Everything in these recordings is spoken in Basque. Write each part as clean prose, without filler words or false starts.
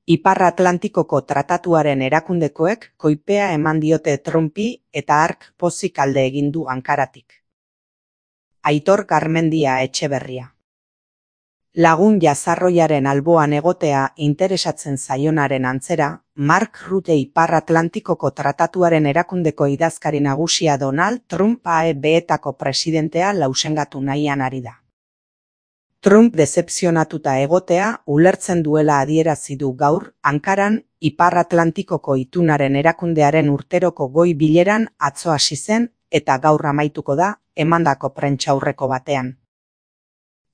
Ipar Atlantikoko Tratatuaren erakundekoek koipea eman diote Trumpi eta hark pozik alde egin du Ankaratik. Aitor Garmendia Etxeberria. Lagun jazarroiaren alboan egotea interesatzen zaionaren antzera, Mark Rutte Ipar Atlantikoko Tratatuaren erakundeko idazkari nagusia Donald Trump AEB-etako presidentea lausengatu nahian ari da. Trump dezepzionatuta egotea ulertzen duela adierazi du gaur Ankaran Ipar Atlantikoko itunaren erakundearen urteroko goi bileran atzo hasi zen eta gaur amaituko da emandako prentsaurreko batean.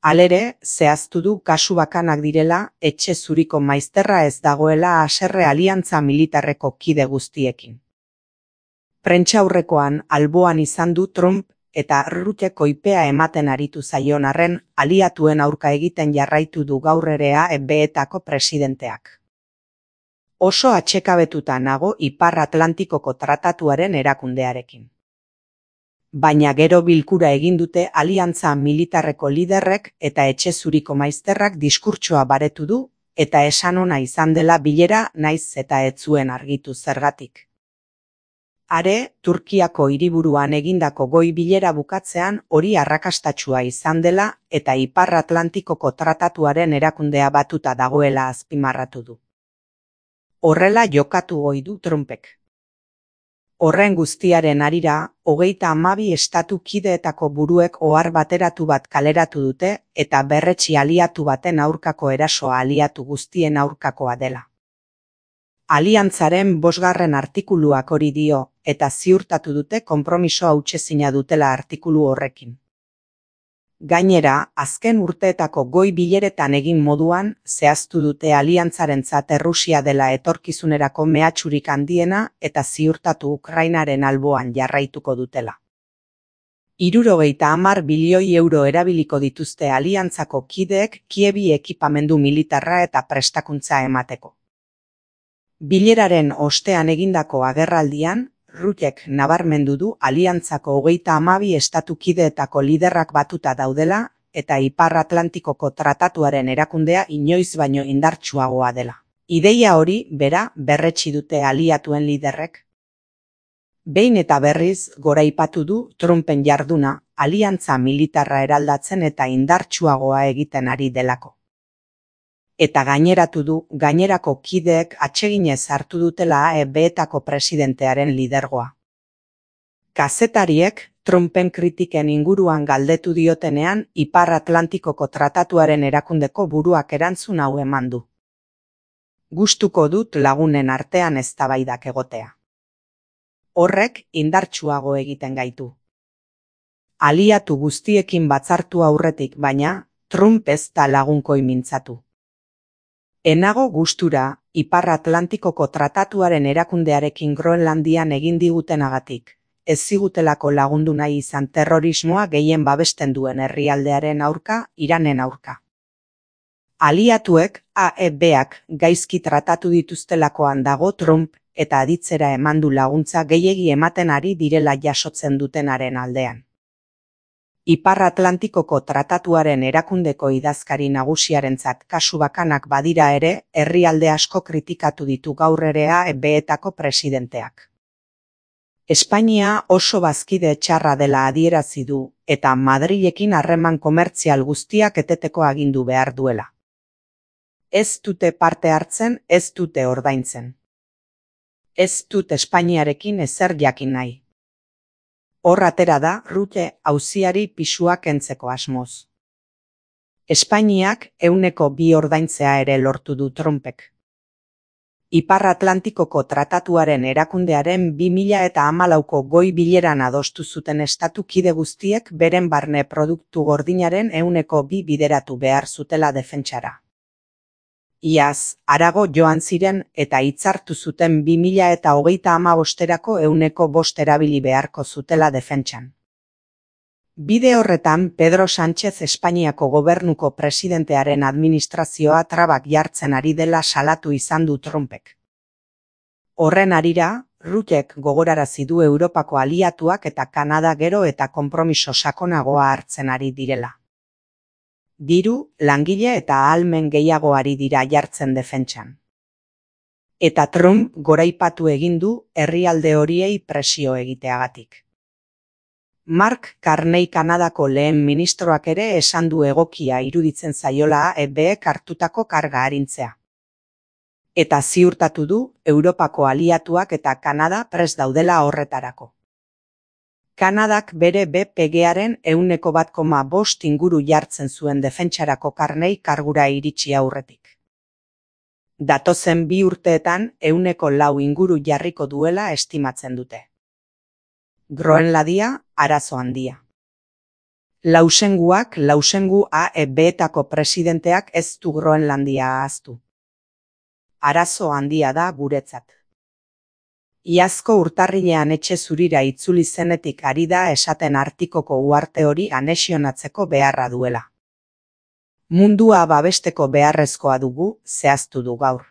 Halere, zehaztu du kasu bakanak direla, etxe zuriko maizterra ez dagoela haserre aliantza militarreko kide guztiekin. Prentsaurrekoan alboan izan du Trump eta Rutte koipea ematen aritu zaion arren aliatuen aurka egiten jarraitu du gaur ere AEB-etako presidenteak. Oso atsekabetuta nago Ipar Atlantikoko Tratatuaren erakundearekin. Baina gero bilkura egin dute aliantza militarreko liderrek eta etxe zuriko maizterrak diskurtsoa baretu du eta esan ona izan dela bilera naiz eta ez zuen argitu zergatik. Are, Turkiako hiriburuan egindako goi bilera bukatzean hori arrakastatsua izan dela eta Ipar Atlantikoko Tratatuaren erakundea batuta dagoela azpimarratu du. Horrela jokatu ohi du Trumpek. Horren guztiaren harira, 32 estatu kideetako buruek ohar bateratu bat kaleratu dute eta berretsi aliatu baten aurkako erasoa aliatu guztien aurkakoa dela. Aliantzaren 5. artikuluak hori dio eta ziurtatu dute konpromiso hautsezina dutela artikulu horrekin. Gainera, azken urteetako goi bileretan egin moduan, zehaztu dute aliantzarentzat Errusia dela etorkizunerako mehatxurik handiena eta ziurtatu Ukrainaren alboan jarraituko dutela. 70 bilioi euro erabiliko dituzte aliantzako kideek Kievi ekipamendu militarra eta prestakuntza emateko. Bileraren ostean egindako agerraldian, Ruttek nabarmendu du aliantzako 32 estatu kideetako liderrak batuta daudela eta Ipar Atlantikoko Tratatuaren erakundea inoiz baino indartsuagoa dela. Ideia hori bera berretsi dute aliatuen liderrek. Behin eta berriz goraipatu du Trumpen jarduna aliantza militarra eraldatzen eta indartsuagoa egiten ari delako. Eta gaineratu du gainerako kideek atseginez hartu dutela AEB-etako presidentearen lidergoa. Kazetariek Trumpen kritiken inguruan galdetu diotenean Ipar Atlantikoko Tratatuaren erakundeko buruak erantzun hau eman du. Gustuko dut lagunen artean eztabaidak egotea. Horrek indartsuago egiten gaitu. Aliatu guztiekin batzartu aurretik baina, Trump ez da lagunkoi mintzatu. Enago gustura, Ipar Atlantikoko Tratatuaren erakundearekin Groenlandian egin digutenagatik, ez zigutelako lagundu nahi izan terrorismoa gehien babesten duen herrialdearen aurka, Iranen aurka. Aliatuek AEB-ak gaizki tratatu dituztelakoan dago Trump eta aditzera eman du laguntza gehiegi ematen ari direla jasotzen dutenaren aldean. Ipar Atlantikoko Tratatuaren erakundeko idazkari nagusiarentzat kasu bakanak badira ere, herrialde asko kritikatu ditu gaur ere AEB-etako presidenteak. Espainia oso bazkide txarra dela adierazi du eta Madrilekin harreman komertzial guztiak eteteko agindu behar duela. Ez dute parte hartzen, ez dute ordaintzen. Ez dut Espainiarekin ezer jakin nahi. Hor atera da Rutte auziari pisua kentzeko asmoz. Espainiak 2% ordaintzea ere lortu du Trumpek. Ipar Atlantikoko Tratatuaren erakundearen 2014ko goi bileran adostu zuten estatu kide guztiek beren barne produktu gordinaren 2% bideratu behar zutela defentsara. Iaz, harago joan ziren eta hitzartu zuten 2035erako 5% erabili beharko zutela defentsan. Bide horretan Pedro Sánchez Espainiako gobernuko presidentearen administrazioa trabak jartzen ari dela salatu izan du Trumpek. Horren harira, Ruttek gogorarazi du Europako aliatuak eta Kanada gero eta konpromiso sakonagoa hartzen ari direla. Diru, langile eta ahalmen gehiago ari dira jartzen defentsan. Eta Trump goraipatu egin du herrialde horiei presio egiteagatik. Mark Carney Kanadako lehen ministroak ere esan du egokia iruditzen zaiola AEBek hartutako karga arintzea. Eta ziurtatu du Europako aliatuak eta Kanada prest daudela horretarako. Kanadak bere BPG-aren 1,5% inguru jartzen zuen defentsarako Carney kargura iritsi aurretik. Datozen 2 urteetan 4% inguru jarriko duela estimatzen dute. Groenlandia, arazo handia. Lausengu AEBetako presidenteak ez du Groenlandia ahaztu. Arazo handia da guretzat. Iazko urtarrilean etxe zurira itzuli zenetik ari da esaten Artikoko uharte hori anexionatzeko beharra duela. Mundua babesteko beharrezkoa dugu, zehaztu du gaur.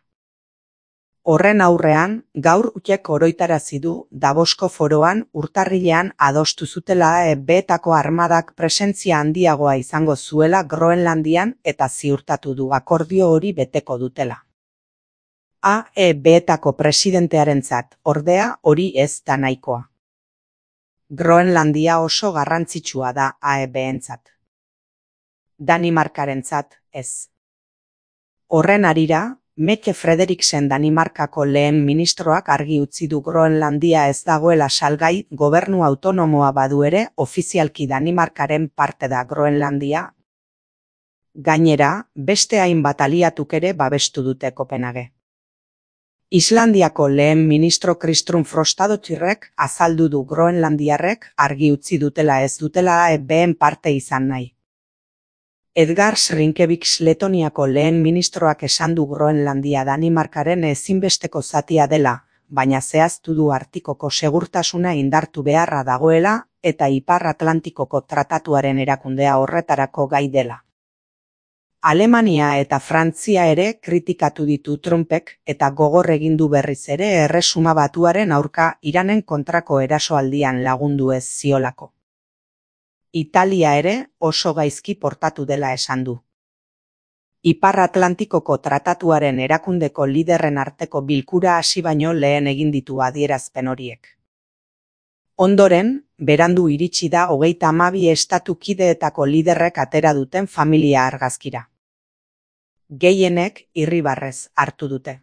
Horren aurrean, gaur utek oroitarazi du Davosko foroan urtarrilean adostu zutela AEBetako armadak presentzia handiagoa izango zuela Groenlandian eta ziurtatu du akordio hori beteko dutela. AEBetako presidentearentzat, ordea, hori ez da nahikoa. Groenlandia oso garrantzitsua da AEBentzat. Danimarkarentzat, ez. Horren harira, Mette Frederiksen Danimarkako lehen ministroak argi utzi du Groenlandia ez dagoela salgai, gobernu autonomoa badu ere, ofizialki Danimarkaren parte da Groenlandia. Gainera, beste hainbat aliatuk ere babestu dute Kopenhage. Islandiako lehen ministro Kristrún Frostadottirrek azaldu du Groenlandiarrek argi utzi dutela ez dutela AEBen parte izan nahi. Edgar Rinkevicius Letoniako lehen ministroak esan du Groenlandia Danimarkaren ezinbesteko zatia dela, baina zehaztu du Artikoko segurtasuna indartu beharra dagoela eta Ipar Atlantikoko tratatuaren erakundea horretarako gai dela. Alemania eta Frantzia ere kritikatu ditu Trumpek eta gogor egin du berriz ere Erresuma Batuaren aurka Iranen kontrako erasoaldian lagundu ez ziolako. Italia ere oso gaizki portatu dela esan du. Ipar Atlantikoko tratatuaren erakundeko liderren arteko bilkura hasi baino lehen egin ditu adierazpen horiek. Ondoren, berandu iritsi da 32 estatu kideetako liderrek atera duten familia argazkira. Gehienek irribarrez hartu dute.